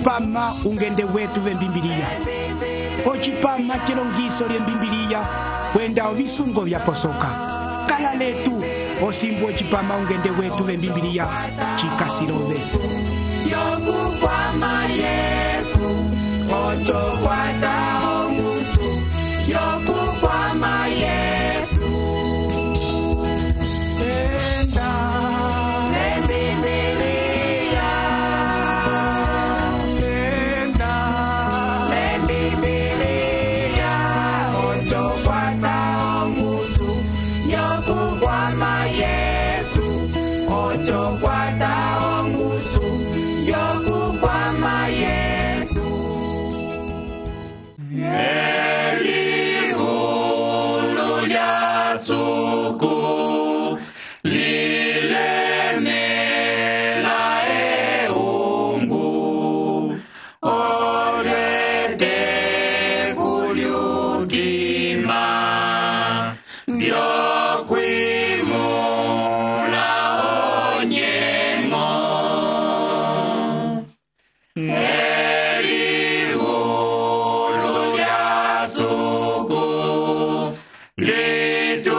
ocipama ungende wetu vembimbiliya, ocipama celongiso lyembimbiliya kwenda ovisungo vyaposoka. Kala letu osimbu ocipama ungende wetu vembimbiliya cikasirove. Yokukwama Yesu, ochokwata omusu. Yokukwama Yesu, enda lembibiliya, enda lembibiliya, ochokwata omusu. Yokukwama Yesu, ochokwata omusu. Yokukwama Yesu. Elihulu lya suku lilemela eungu, orete kulyutima byokwimula onyengo. Elihulu lya suku litumwiso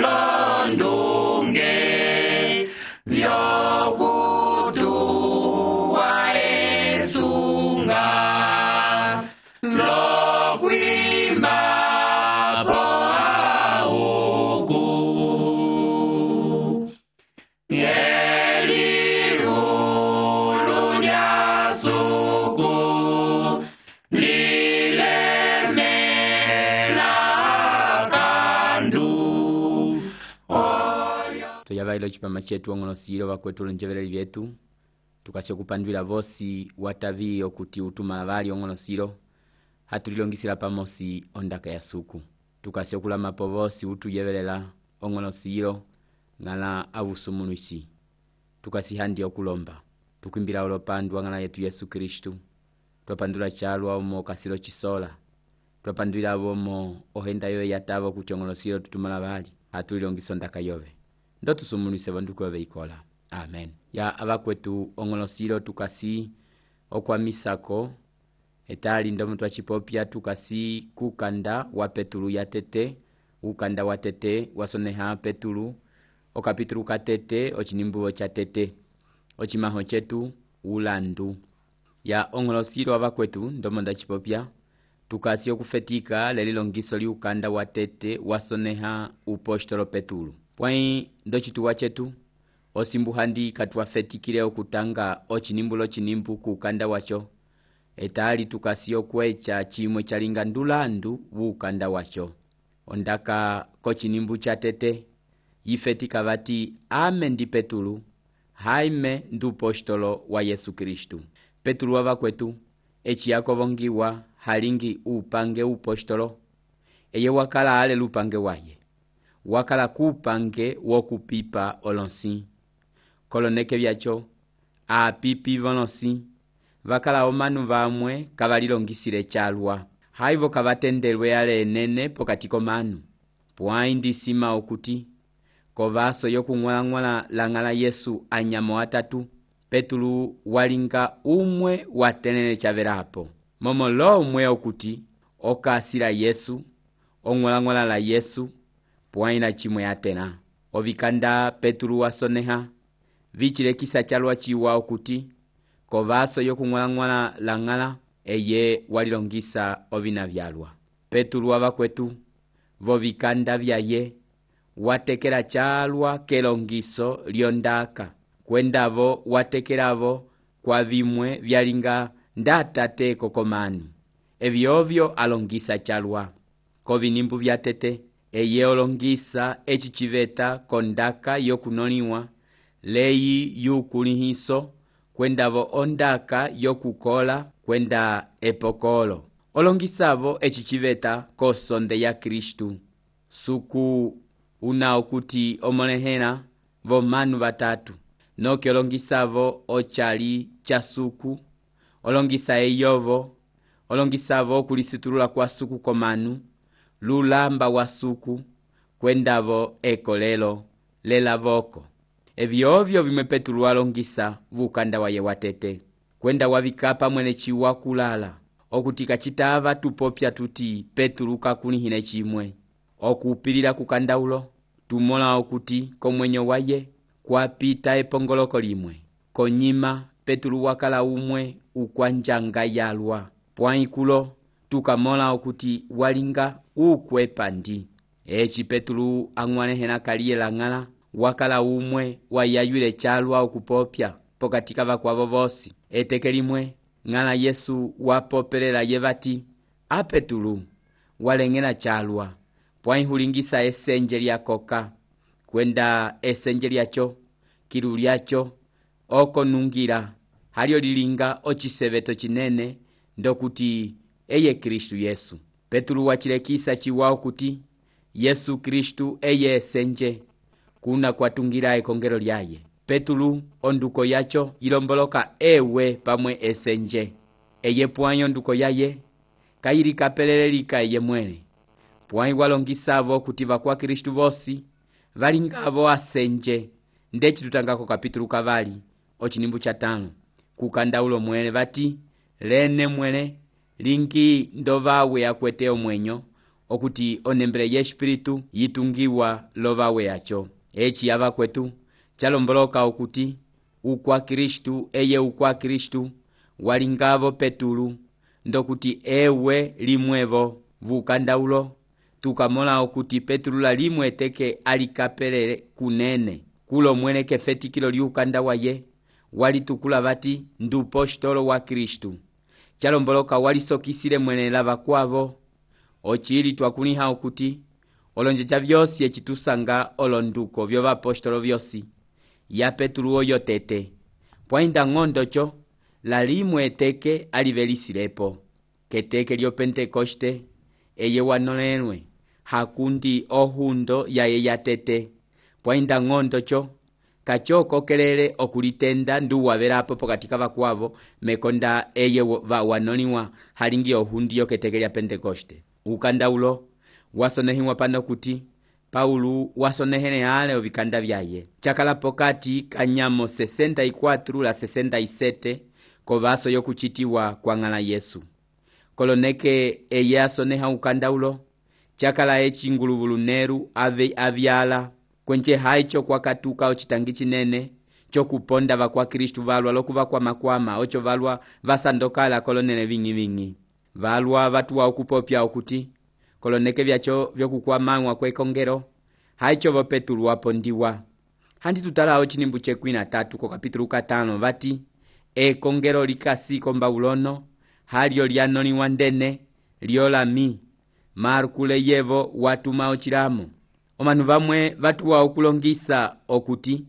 londunge vyokutuwa esunga lokwimba po auku. Elihulu lya suku lilemela kandu. Tuyavaila ocipama cetu ong'olosile vakwetula njeveleli vyetu tukasi okupandwila vosi watavi okuti utumala vali ong'olosilo hatulilongisila pamosi ondaka ya suku. Tukasi okulamapo vosi utuyevelela ong'olosilo ng'ala avusumuluisi. Tukasi handi okulomba tukwimbila olopandwa ng'ala yetu Yesu Kristu. Twapandula chalwa omo kasilo chisola. Twapandwila avomo ohenda yoye yatavo kuti ong'olosilo tutumala vali hatulilongisa ondaka yove. Ndo tusumulise vanduku yove ikola. Amen. Ya avakwetu ong'olosilo tukasi okwamisako etali ndomo twachipopya tukasi kukanda wa Petulu ya tete, ukanda wa tete wasoneha Petulu okapitulu katete ochinimbuvo cha tete ochimaho chetu ulandu. Ya ong'olosilo avakwetu ndomo ndachipopya tukasi okufetika lelilongiso liukanda wa tete wasoneha upostolo Petulu. Pwai ndochituwa chetu osimbu handi katwafetikile okutanga ochinimbulo chinimbu kukanda wacho etali tukasi okwecha chimwe chalinga ndulandu wukanda wacho. Ondaka kochinimbu cha tete yifetika vati ame ndi Petulu haime ndu postolo wa Yesu Kristu. Petulu wavakwetu echi yakovongiwa halingi upange upostolo eye wakala ale lupange waye wakala kupange wokupipa olonsi koloneke vyacho apipi volonsi vakala omanu vamwe kavalilongisile chalwa haivo kavatendelwe ale enene pokati komanu. Pwai ndisima okuti kovaso yokung'wala lang'ala Yesu anyamo atatu Petulu walinga umwe watenene chavelapo momo lo umwe okuti okasila Yesu ong'wala la Yesu pwai na chimwe atena ovikanda Petulu wasoneha vichilekisa chalwa chiwa okuti kovaso yokung'wala lang'ala eye walilongisa ovina vyalwa. Petulu wavakwetu vovikanda vyaye watekela chalwa kelongiso lyondaka kwendavo watekelavo kwa vimwe vyalinga ndatate kokomanu evyovyo alongisa chalwa kovinimbu vya tete eye olongisa echi chiveta kondaka yokunoniwa leyi yukulihiso kwendavo ondaka yokukola kwenda epokolo olongisavo echi chiveta kosonde ya Kristu. Suku una okuti omonehena vomanu vatatu noke olongisavo ochali cha suku olongisa eyovo olongisavo kulisitulula kwa suku komanu lulamba wa suku kwendavo ekolelo lelavoko evyovyo vimwe Petulu walongisa vukanda waye watete kwenda wavikapa mwene chiwa kulala okuti kachitava tupopya tuti Petulu kakunihine chimwe okupilira kukandaulo tumola okuti komwenyo waye kwapita epongoloko limwe konyima Petulu wakala umwe ukwanjanga yalwa pwaikulo tukamola okuti walinga ukwepa ndi echi Petulu ang'wanehena kaliye lang'ala wakala umwe wayaywile chalwa okupopya pokatika vakwavo vosi eteke limwe ng'ala Yesu wapopelela yevati a Petulu waleng'ela chalwa pwaihulingisa esenje lyakoka kwenda esenje lyacho kilu lyacho oko nungira halyo lilinga ochiseveto chinene ndokuti eye Kristu Yesu. Petulu wachilekisa chiwao kuti Yesu Kristu eye esenje kuna kwatungira ekongelo lyaye. Petulu onduko yacho ilomboloka ewe pamwe esenje eye pwanyo nduko yaye kayiri kapelelelika eye mwene pwanyi walongisavo kuti vakwa Kristu vosi valingavo asenje ndechi tutangako kapitulu kavali ochinimbu cha 5 kukandaulo mwene vati lene mwene lingi ndovawe akweteo mwenyo okuti onembele ye espiritu yitungiwa lovawe yacho echi yava kwetu chalomboloka okuti ukwa Kristu eye ukwa Kristu walingavo Petulu ndokuti ewe limwevo vukandaulo tukamola okuti Petulu la limwe teke alikapelele kunene kulo mwene kefetikilo liukanda waye walitukula vati ndupostolo wa Kristu chalomboloka walisokisile mwene lava kwavo ochili twakuniha okuti olonjeja vyosi echitusanga olonduko vyo vapostolo vyosi ya Petulu oyo tete pwainda ng'ondocho la limwe eteke alivelisilepo keteke lyo Pentekoste eye wanolelwe hakundi ohundo yaye yatete pwainda ng'ondocho kachokokelele okulitenda nduwavelapo pokatika vakwavo mekonda eye wanoliwa halingi ohundi yo keteke lya Pentekoste. Ukandaulo wasonehiwa pano kuti Paulu wasonehene ale ovikanda vyaye chakala pokati kanyamo 64 la 67 kovaso yokuchitiwa kwa ng'ala Yesu koloneke eye asoneha ukandaulo chakala echinguluvulu neru ave avyala kwenche haicho kwakatuka ochitangi chinene chokuponda vakwa Kristu valwa lokuva kwamakwama ocho valwa vasandokala kolonene vingi valwa vatuwa okupopya okuti koloneke vyacho vyokukwamangwa kwekongero haicho vo Petulu wapondiwa handi tutalawo chinimbu chekwina 3 ko kapitulu 5 vati ekongero likasi kombaulono halyo lyanoliwa ndene lyolami markule yevo watuma ochilamo omanu vamwe vatuwa okulongisa okuti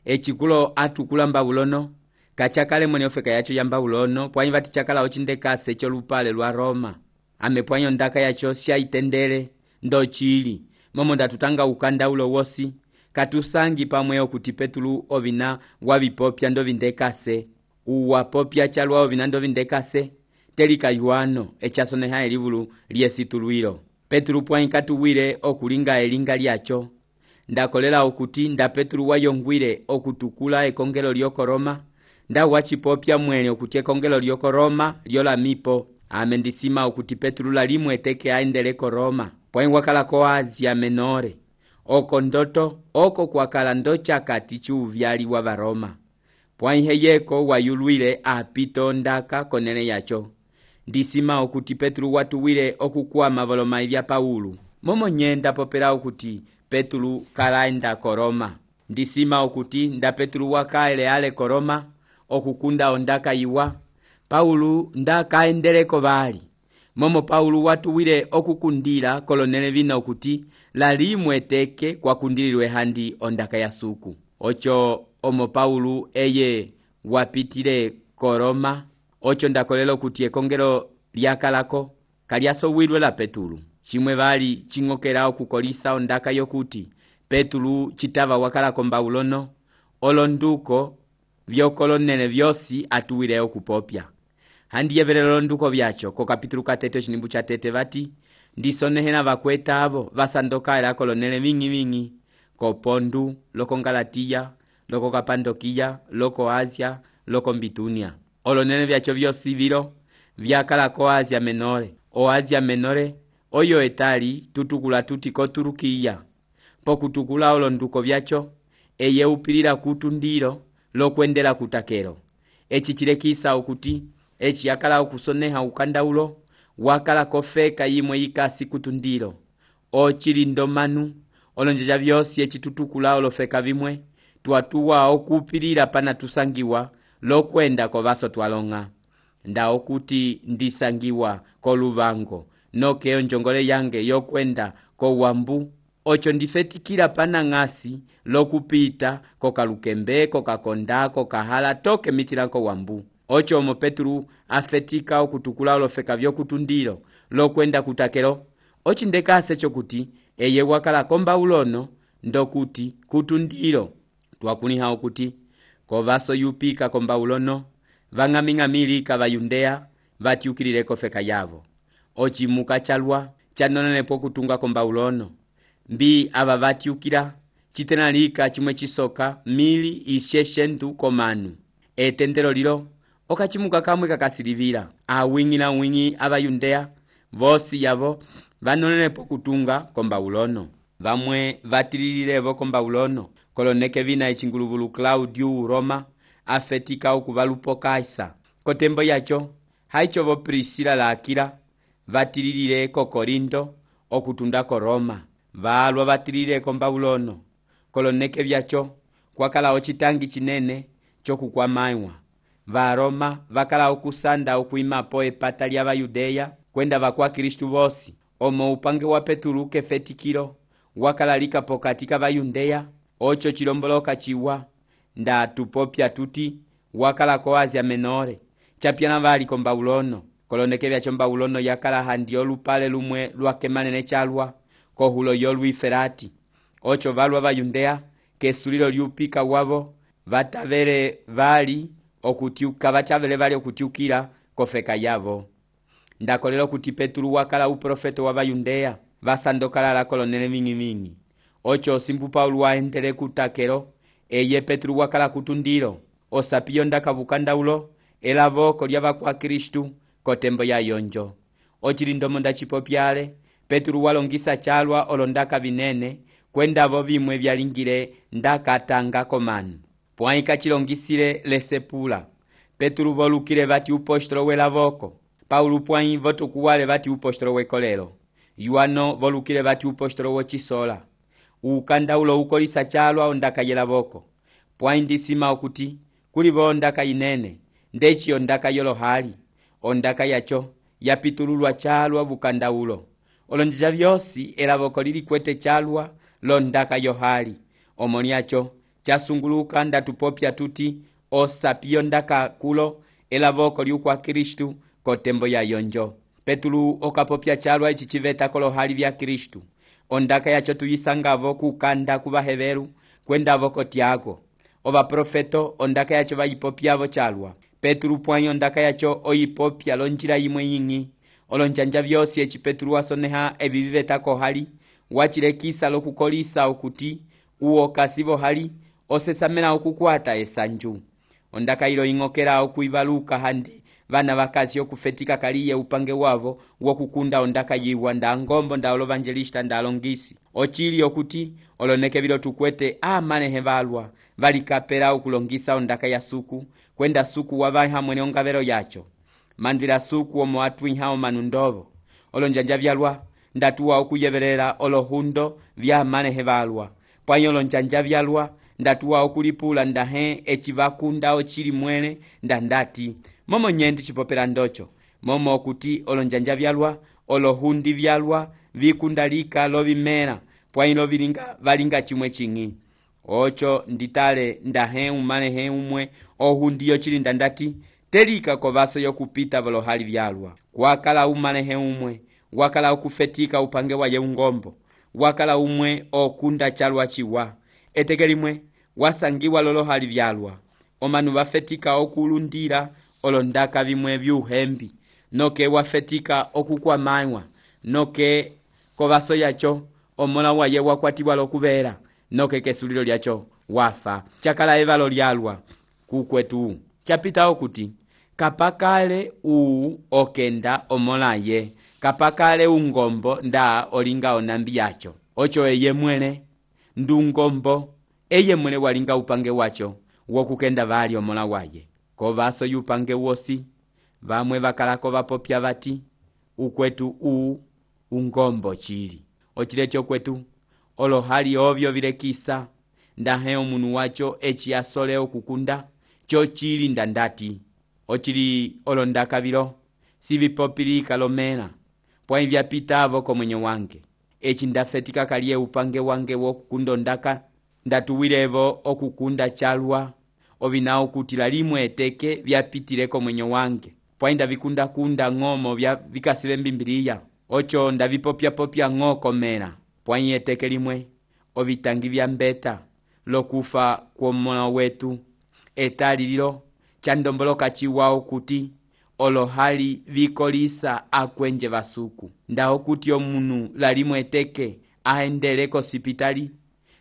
echikulo atukula mbaulono kachakale mwene ofeka yacho ya mbaulono pwanyi vati chakala ochindekase cholupale lwa Roma ame pwanyo ndaka yacho syaitendele ndochili momo ndatutanga ukandaulo wosi katusangi pamwe okuti Petulu ovina wavipopya ndovindekase uwapopya chalwa ovina ndovindekase telika yuano echasoneha elivulu lyesitulwilo Petulu pwanyi katuwile okulinga elinga lyacho ndakolela okuti nda Petulu wayongwile okutukula ekongelo lyoko Roma nda wachipopya mwene okuti ekongelo lyoko Roma lyolamipo ame ndisima okuti Petulu la limwe teke aendeleko Roma pwanyi wakalako Asia Menore oko ndoto oko kwakala ndochakati chuvyaliwa va Roma pwanyi heyeko wayulwile apito ndaka konene yacho ndisima okuti Petulu watuwile okukwama volomai vya Paulu momo nyenda popela okuti Petulu kalaenda ko Roma ndisima okuti nda Petulu wakaele ale ko Roma okukunda ondaka iwa Paulu ndakaendeleko vali momo Paulu watuwile okukundila kolonele vina okuti la limwe teke kwakundililwe handi ondaka ya suku ocho omo Paulu eye wapitile ko Roma ocho ndakolela okuti ekongelo lyakalako kalyasowilwe la Petulu chimwe vali ching'okela okukolisa ondaka yokuti Petulu chitava wakalako mbaulono olonduko vyokolonene vyosi atuwile okupopya handi yevelelo londuko vyacho ko kapitulu 3 chinimbu cha 3 vati ndisonehena vakweta avo vasandokaela kolonele vingi ko Pondu loko Galatiya loko Kapandokiya, loko Asia, loko Bitunia. Olonene vyacho vyosi vilo vyakala ko Asia Menore. O Asia Menore oyo etali tutukula tuti ko Turukiya. Pokutukula olonduko vyacho eye upilila kutundilo lokwendela kutakelo. Echi chilekisa okuti echi yakala okusoneha ukandaulo wakala kofeka yimwe yikasi kutundilo. O chilindomanu olonjeja vyosi echi tutukula olofeka vimwe tuatuwa okupilila pana tusangiwa lokwenda ko vaso twalonga. Nda okuti ndisangiwa ko luvango noke onjongole yange yokwenda ko wambu ocho ndifetikila pana ngasi lokupita ko Kalukembe, ko Kakonda, ko Kahala toke mitila ko wambu. Ocho omo Petru afetika okutukula olofeka vyokutundilo lokwenda kutakelo. Ochi ndekase chokuti eye wakala kombaulono ndokuti kutundilo twakuniha okuti ko vaso yupika kombaulono vang'aming'amilika vayundea vatiukilile kofeka yavo. Ochi muka chalwa chanonenepo kutunga kombaulono mbi ava vatiukila chitenalika chimwe chisoka 1,600 komanu. Etendelo lilo okachimuka kamwe kakasilivila awing'ila wingi avayundea vosi yavo vanonenepo kutunga kombaulono. Vamwe vatilililevo kombaulono koloneke vina echinguluvulu Claudiu Roma afetika okuvalupo Kaisa. Kotembo yacho haichovo Priscila la Akila vatililile ko Korinto okutunda ko Roma. Valwa vatilile kombaulono koloneke vyacho kwakala ochitangi chinene chokukwamaiwa. Va Roma vakala okusanda okuimapo epata lya Vayudeya kwenda vakwa Kristu vosi. Omo upange wa Petru kefetikilo wakala lika pokati ka Vayudeya ocho chilomboloka chiwa nda tupopya tuti wakala ko Asia Menore chapyana vali kombaulono. Koloneke vyacho mbaulono yakala handi olupale lumwe lwakemanene chalwa kohulo yolwiferati. Ocho valwa Vayundea kesulilo lyupika wavo vatavele vali okutiukila kofeka yavo. Ndakolelo kuti Petru wakala uprofeto wa Vayundea vasandokala la kolonele vingi. Ocho simpu Paulo waendele kutakelo eye Petru wakala kutundilo osapiyo ndakavukandaulo elavoko lyava kwa Kristu kotembo ya yonjo. Ochilindomo ndachipopyale Petru walongisa chalwa olondaka vinene kwendavo vimwe vyalingile ndakatanga komanu. Pwaika chilongisile lesepula Petru volukile vati upostolo welavoko. Paulo pwai votukuwale vati upostolo wekolelo. Yuano volukile vati upostolo wochisola. Ukandaulo ukolisa chalwa ondaka yelavoko. Pwai ndisima okuti kulivo ondaka inene ndechi ondaka yolohali. Ondaka yacho yapitululwa chalwa vukandaulo. Olonjeja vyosi elavoko lili kwete chalwa londaka yohali. Omoni yacho chasunguluka ndatupopya tuti osapiyo ndaka kulo elavoko liukwa Kristu kotembo ya yonjo. Petru okapopya chalwa ichi chiveta kolohali vya Kristu. Ondaka yacho tuyisangavo kukanda kuvaheveru kwendavo kotiago. Ova profeto ondaka yacho vayipopyavo chalwa. Petru pwanyo ondaka yacho oyipopya lonjila yimwe yingi. Olonjanja vyosi echi Petru wasoneha eviviveta kohali wachilekisa lokukolisa okuti uo kasivo hali osesamela okukwata esanju. Ondaka ilo ingokela okuivaluka handi vana vakasi okufetika kaliye upange wavo wokukunda ondaka yiwa nda ngombo nda olovangelista nda alongisi. Ochili okuti oloneke vilo tukwete amanehe valwa valikapela okulongisa ondaka ya suku kwenda suku wavaiha mwene ongavero yacho. Mandvila suku omo atuiha omanundovo. Olonjanja vyalwa ndatuwa okuyevelela olohundo vya amanehe valwa. Pwanyo olonjanja vyalwa ndatuwa okulipula ndahe echivakunda ochili mwene ndandati. Momo nyendi chipopela ndocho. Momo okuti olonjanja vyalwa olohundi vyalwa vikundalika lovimera. Pwanyo valinga chimwe chingi. Ocho nditale ndahe umanehe umwe ohundi yochili ndandati. Telika kovaso yokupita volohali vyalwa. Wakala umanehe umwe. Wakala okufetika upange wa yeungombo. Wakala umwe okunda chalwa chiwa. Etekelimwe wasangiwa lolohali vyalwa. Omanu vafetika okulundira olondaka vimwe vyuhembi. Noke wafetika okukwamaiwa. Noke kovaso yacho omola waye wakwatiwa lokuvera. Noke kesulilo lyacho wafa. Chakala evalo lyalwa kukwetu. Chapitawo kuti kapakale okenda omolaye, kapakale ungombo nda olinga onambi yacho. Ocho eye mwele ndungombo eye mwele walinga upange wacho wokukenda vali omola waye. Kovaso yupange wosi vamwe vakalako vapopya vati ukwetu ungombo chili. Ochilecho kwetu olohali ovyo vilekisa ndahe omunu wacho echi asole okukunda cho chili ndandati. Ochili olondaka vilo sivipopilika lomela pwai vyapitavo komwenyo wange. Echi ndafetika kalie upange wange wokukunda ondaka ndatuwilevo okukunda chalwa ovinao kutila limwe eteke vyapitile komwenyo wange. Pwai ndavikunda ng'omo vikasile mbimbiliya. Ocho ndavipopya ng'o komela pwai eteke limwe ovitangi vya mbeta lokufa kwomola wetu etali lilo chandomboloka chiwao kuti olohali vikolisa akwenje vasuku. Ndaho kuti omunu lalimwe eteke aendele kosipitali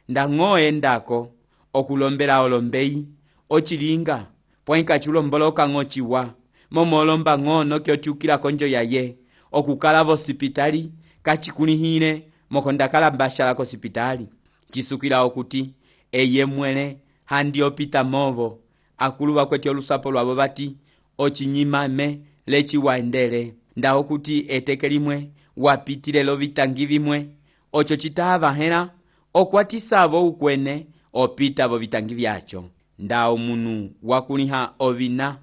ndang'o endako okulombela olombeyi ochilinga pwai kachulomboloka ng'o chiwa momo olomba ng'o nokyo chukila konjo yaye okukala vosipitali kachikunihile mokondakala mbashala kosipitali. Chisukila okuti eye mwele handi opita movo akulu vakweti olusapo lwavo vati ochinyimame lechi waendele. Ndaho kuti eteke limwe wapitile lovitangi vimwe ocho chitava hela okwatisavo ukwene opita vo vitangi vyacho. Ndaho munu wakuniha ovina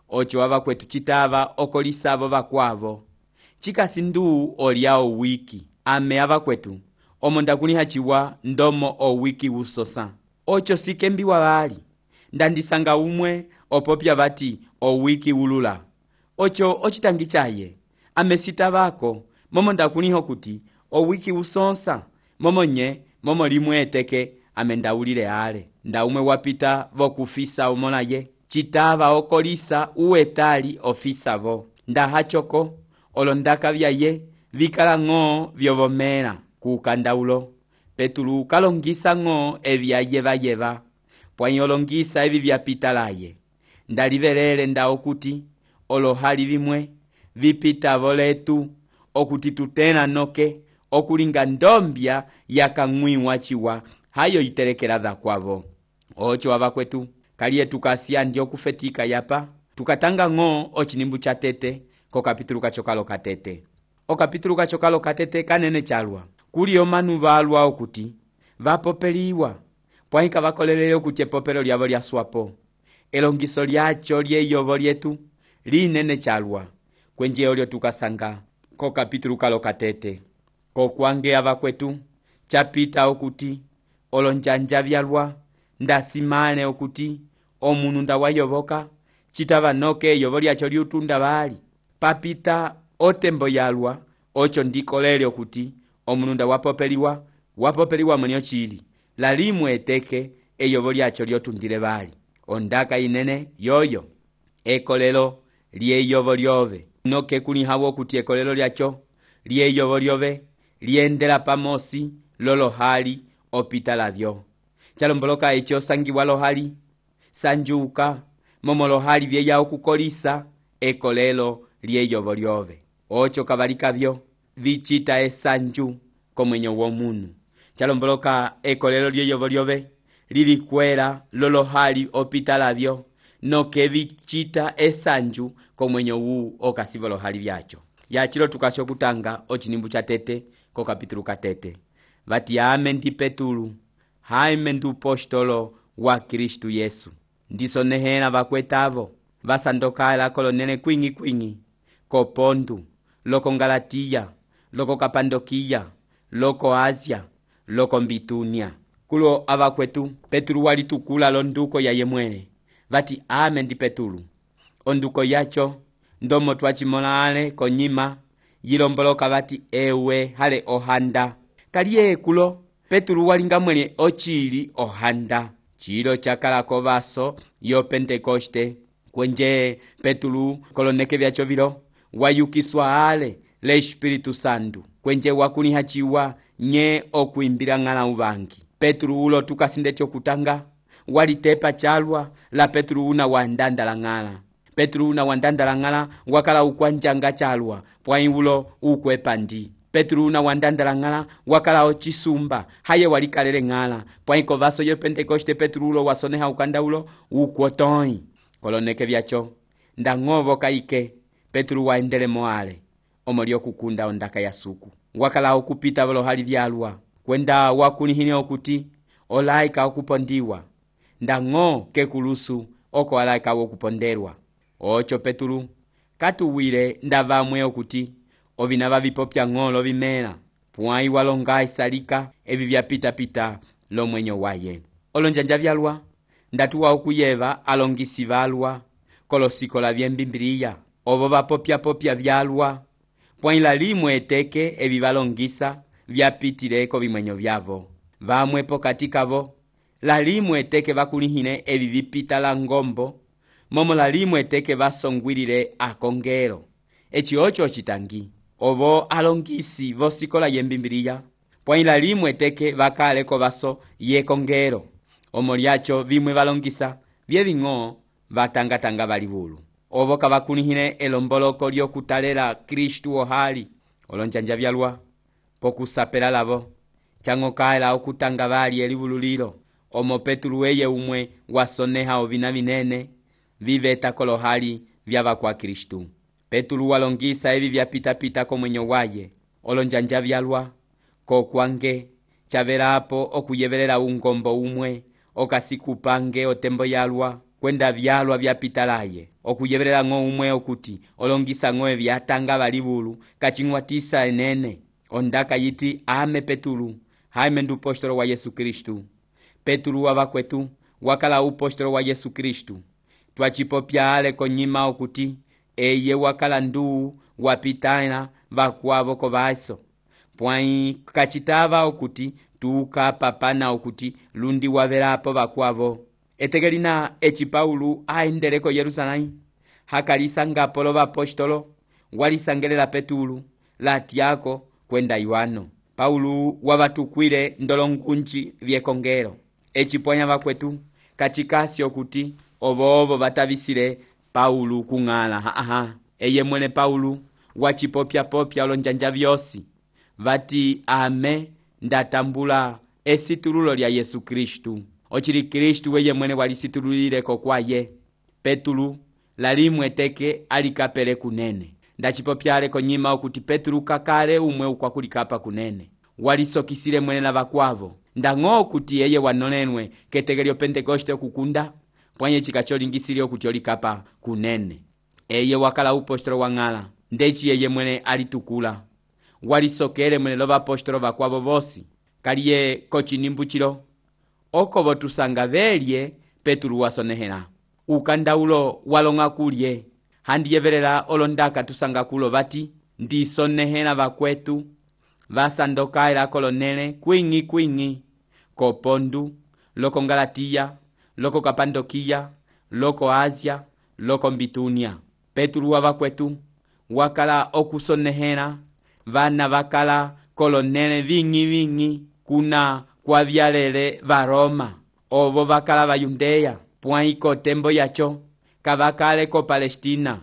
ocho wava kwetu chitava okolisavo vakwavo. Chikasindu oliao wiki ame ava kwetu omonda kuniha chiwa ndomo o wiki usosa. Ocho sikembiwa vali ndandisanga umwe opopya vati o wiki ulula. Ocho ochitangi chaye amesita vako momo ndakuniho kuti o wiki usonsa momo limwe eteke amendaulile ale. Nda umwe wapita vokufisa umolaye chitava okolisa uetali ofisa vo. Nda hachoko olondaka vyaye vikala ng'o vyovomela kukandaulo. Petulu kalongisa ng'o evyayeva pwai olongisa evi vyapita laye. Ndalivelele nda okuti olohali vimwe vipita voletu okuti tutena noke okulinga ndombya yakang'wiwa chiwa hayo itelekela dhakwavo. Ocho wava kwetu kalie tukasya ndi okufetika yapa tukatanga ng'o ochinimbu cha tete ko kapitulu kachokalo katete. Okapitulu kachokalo katete kanene chalwa kuli omanu valwa okuti vapopeliwa pwai kavakolelele okuti epopelo lyavo lyaswapo. Elongiso lyacho lyeyovo lyetu linene chalwa kwenje olyo tukasanga ko kapitulu kalo katete. Ko kwange ava kwetu chapita okuti olonjanja vyalwa ndasimane okuti omunu ndawayovoka chitava noke eyovo lyacho liutunda vali. Papita otembo yalwa ocho ndikolele okuti omunu ndawapopeliwa mwenyo chili lalimwe eteke eyovo lyacho lyotundile vali. Ondaka inene yoyo ekolelo lyeyovo lyove noke kunihawo okuti ekolelo lyacho lyeyovo lyove liendela pamosi lolohali opita lavyo. Chalomboloka echo sangiwa lohali sanjuka momo lohali vyeya okukolisa ekolelo lyeyovo lyove. Ocho kavalikavyo vichita esanju komwenyo womunu. Chalomboloka ekolelo lyeyovo lyove lilikwela lolohali opita lavyo noke vichita esanju komwenyo wu okasivo lohali vyacho. Yachilo tukasho kutanga ochinimbu cha tete ko kapitulu katete. Vati ame ndi Petulu haime ndu postolo wa Kristu Yesu. Ndisonehela vakwetavo vasandokala kolonene kwingi ko Pontu, loko Galatiya, loko Kapandokiya, loko Asia, loko Mbitunia. Kulo ava kwetu Petulu walitukula londuko ya yemwele. Vati ame ndi Petulu. Onduko yacho ndomo twachimola ale konyima yilomboloka vati ewe hale ohanda. Kaliye kulo Petulu walinga mwene ochili ohanda. Chilo chakala kovaso yo Pentekoste kwenje Petulu koloneke vyacho vilo wayukiswa ale le Espiritu Santu kwenje wakunihachiwa nye okuimbila ng'ala uvangi. Petro ulo tukasindeti okutanga walitepa chalwa la Petro una wandandala ng'ala. Petro una wandandala ng'ala wakala ukwanjanga chalwa pwai ulo ukwepandi. Petro una wandandala ng'ala wakala ochisumba haye walikalele ng'ala pwai kovaso yo Pentekoste Petro ulo wasoneha ukanda ulo ukwotoi. Koloneke vyacho ndang'ovo kaike Petro waendele moale omolio kukunda ondaka ya suku. Wakala okupita volo hali vyalwa kwenda wakunihine okuti olaika okupondiwa ndang'o kekulusu oko alaika wokuponderwa. Ocho Petro katuwile ndavamwe okuti ovina vavipopya ng'olo vimela pwai walonga isalika evi vyapita lomwenyo waye. Olonjanja vyalwa ndatuwa okuyeva alongisi valwa kolosikola vyembimbiliya ovo vapopya vyalwa pwai lalimwe eteke evi valongisa vyapitileko vimwenyo vyavo. Vamwepo katikavo lalimwe eteke vakulihine evi vipita la ngombo momo lalimwe eteke vasongwilile akongelo. Eci ocho ocitangi ovo alongisi vosikola yembimbiliya pwai lalimwe eteke vakaleko vaso yekongelo omo lyacho vimwe valongisa vyeving'o vatangatanga valivulu ovo kavakulihine elomboloko lyokutalela Kristu ohali. Olonjanja vyalwa pokusapela lavo chango kaela okutanga vali elivululilo omo Petro eye umwe wasoneha ovina vinene viveta kolohali vyava kwa Kristu. Petro walongisa evi vyapita komwenyo waye. Olonjanja vyalwa kokwange chavelapo okuyevelela ungombo umwe okasikupange otembo yalwa kwenda vyalwa vyapita laye okuyevelela ng'o umwe okuti olongisa ng'o vyatanga valivulu kaching'watisa enene ondaka yiti ame Petro haime ndu postolo wa Yesu Kristu. Petro wavakwetu wakala upostolo wa Yesu Kristu twachipopya ale konyima okuti eye wakala ndu wapitana vakwavo kovaso pwai kachitava okuti tukapapana okuti lundi wavelapo vakwavo. Etegelina eci Paulo aendeleko Yerusalemu hakalisangapo lo vapostolo walisangelela Petro latiako kwenda Yohano. Paulo wavatukwile ndolongunji vyekongelo eci pwanya vakwetu kachikasi okuti ovo vatavisile Paulo kung'ala eye mwene Paulo wachipopya olonjanja vyosi vati ame ndatambula esitululo lya Yesu Kristu. Ochili Kristu weye mwene walisitululileko kwaye. Petro lalimwe eteke alikapele kunene ndachipopyale konyima okuti Petro kakale umwe ukwakulikapa kunene walisokisile mwene na vakwavo ndang'o okuti eye wanonenwe ketegelyo Pentekoste kukunda pwanye chikacholingisile okuti olikapa kunene. Eye wakala upostolo wa ng'ala ndeci eye mwene alitukula walisokele mwene lo vapostolo vakwavo vosi kaliye kochinimbuchilo oko votusanga velye Petro wasonehela ukandaulo walonga kulye handiyevelela olondaka tusanga kulo vati ndisonehela vakwetu vasandokaela kolonele kwing'i kopondu loko Galatiya loko Kapandokiya loko Asia loko Bitunia. Petro wavakwetu wakala okusonehela vana vakala kolonele ving'i kuna kwa vyalele va Roma ovo vakala va Yudeya pwai kotembo yacho kavakale ko Palestina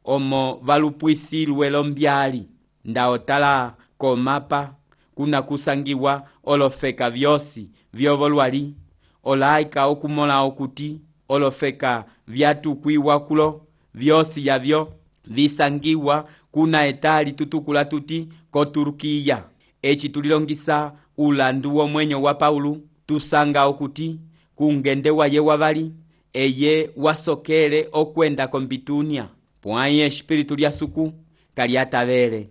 omo valupwisilwe lombyali ndaotala komapa kuna kusangiwa olofeka vyosi vyovolwali olaika okumola okuti olofeka vyatukwiwa kulo vyosi yavyo visangiwa kuna etali tutukula tuti ko Turkiya. Eci tulilongisa ulandu womwenyo wa Paulo tusanga okuti kungende waye wavali eye wasokele okwenda ko Bitunia pwai espiritu lya suku kaliatavele.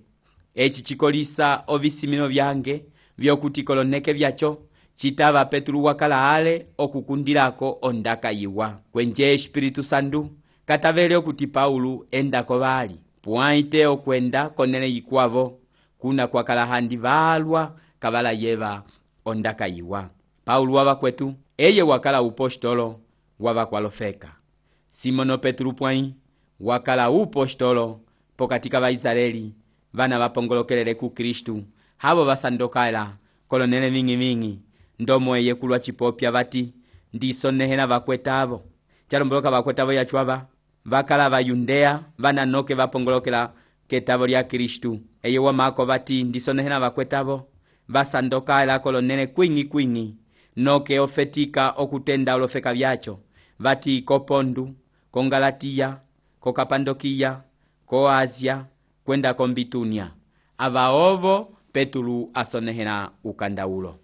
Eci chikolisa ovisimino vyange vyokuti koloneke vyacho chitava Petro wakala ale okukundilako ondaka yiwa kwenje espiritu sandu katavele okuti Paulo endako vali pwai te okwenda konene yikwavo kuna kwakala handi valwa kavala yeva ondaka yiwa. Paulo wavakwetu eye wakala upostolo wavakwalofeka. Simono Petro pwai wakala upostolo pokatika vaisraeli vana vapongolokelele ku Kristu havo vasandokaela kolonele ving'i ndomo eye kulwa chipopya vati ndisonehela vakwetavo. Chalomboloka vakwetavo yachuava vakala va Yudea vananoke vapongolokela ketavo lya Kristu. Eye wamako vati ndisonehela vakwetavo vasandoka elako lonene kwing'i noke ofetika okutenda olofeka vyacho vati ko Pontu, ko Galatiya, ko Kapandokiya, ko Asia kwenda ko Bitunia. Avaovo Petulu asonehela ukandaulo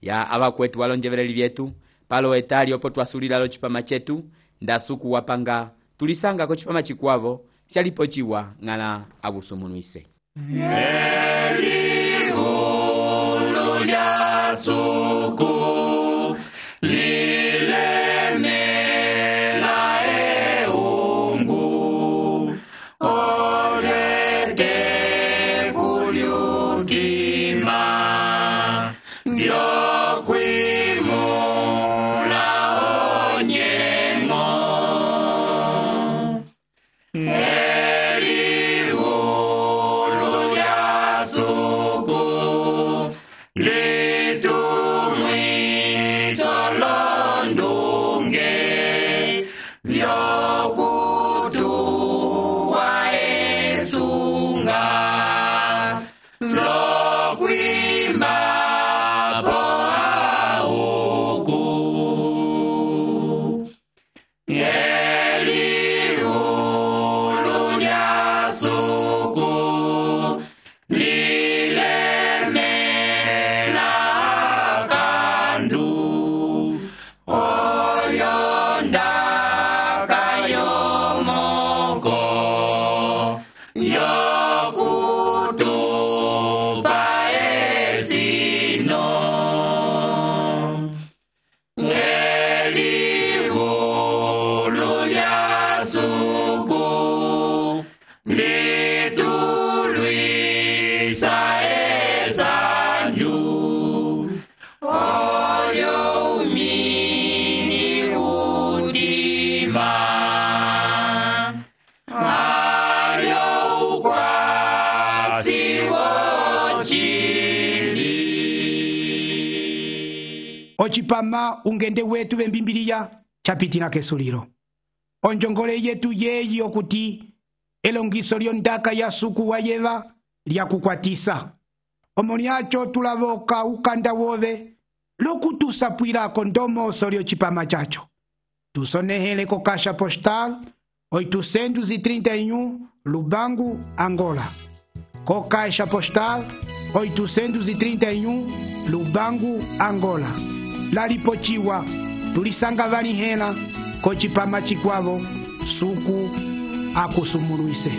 ya avakwetu walonjeveleli vyetu palo etali opo twasulila lo chipama chetu ndasuku wapanga tulisanga ko chipama chikwavo syalipo chiwa ng'ala avusumunuise. Elihulu lya suku lilemela eungu olete kulyutima vyokwimula onyengo. Elihulu lya suku litumwiso londunge vyokutuwa esunga lokwimba po auku. Elihulu lya suku lilemela kandu oyondaka yomoko yokutupa esino. Elihulu lya suku litulwisa esanju olyo umini udima alyo ukwasi wochili. Ochipama ungende wetu vembimbiliya chapitina kesulilo. Onjongole yetu yeyi okuti elongiso lyondaka ya suku wayeva lya kukwatisa. Omoniacho tulavoka ukanda wove lokutusapwilako ndomoso lyo chipama chacho. Tusonehele ko Caixa Postal 831 Lubangu, Angola. Ko Caixa Postal 831 Lubangu, Angola. Lalipochiwa tulisanga vanihela ko chipama chikwavo suku akusumuluise.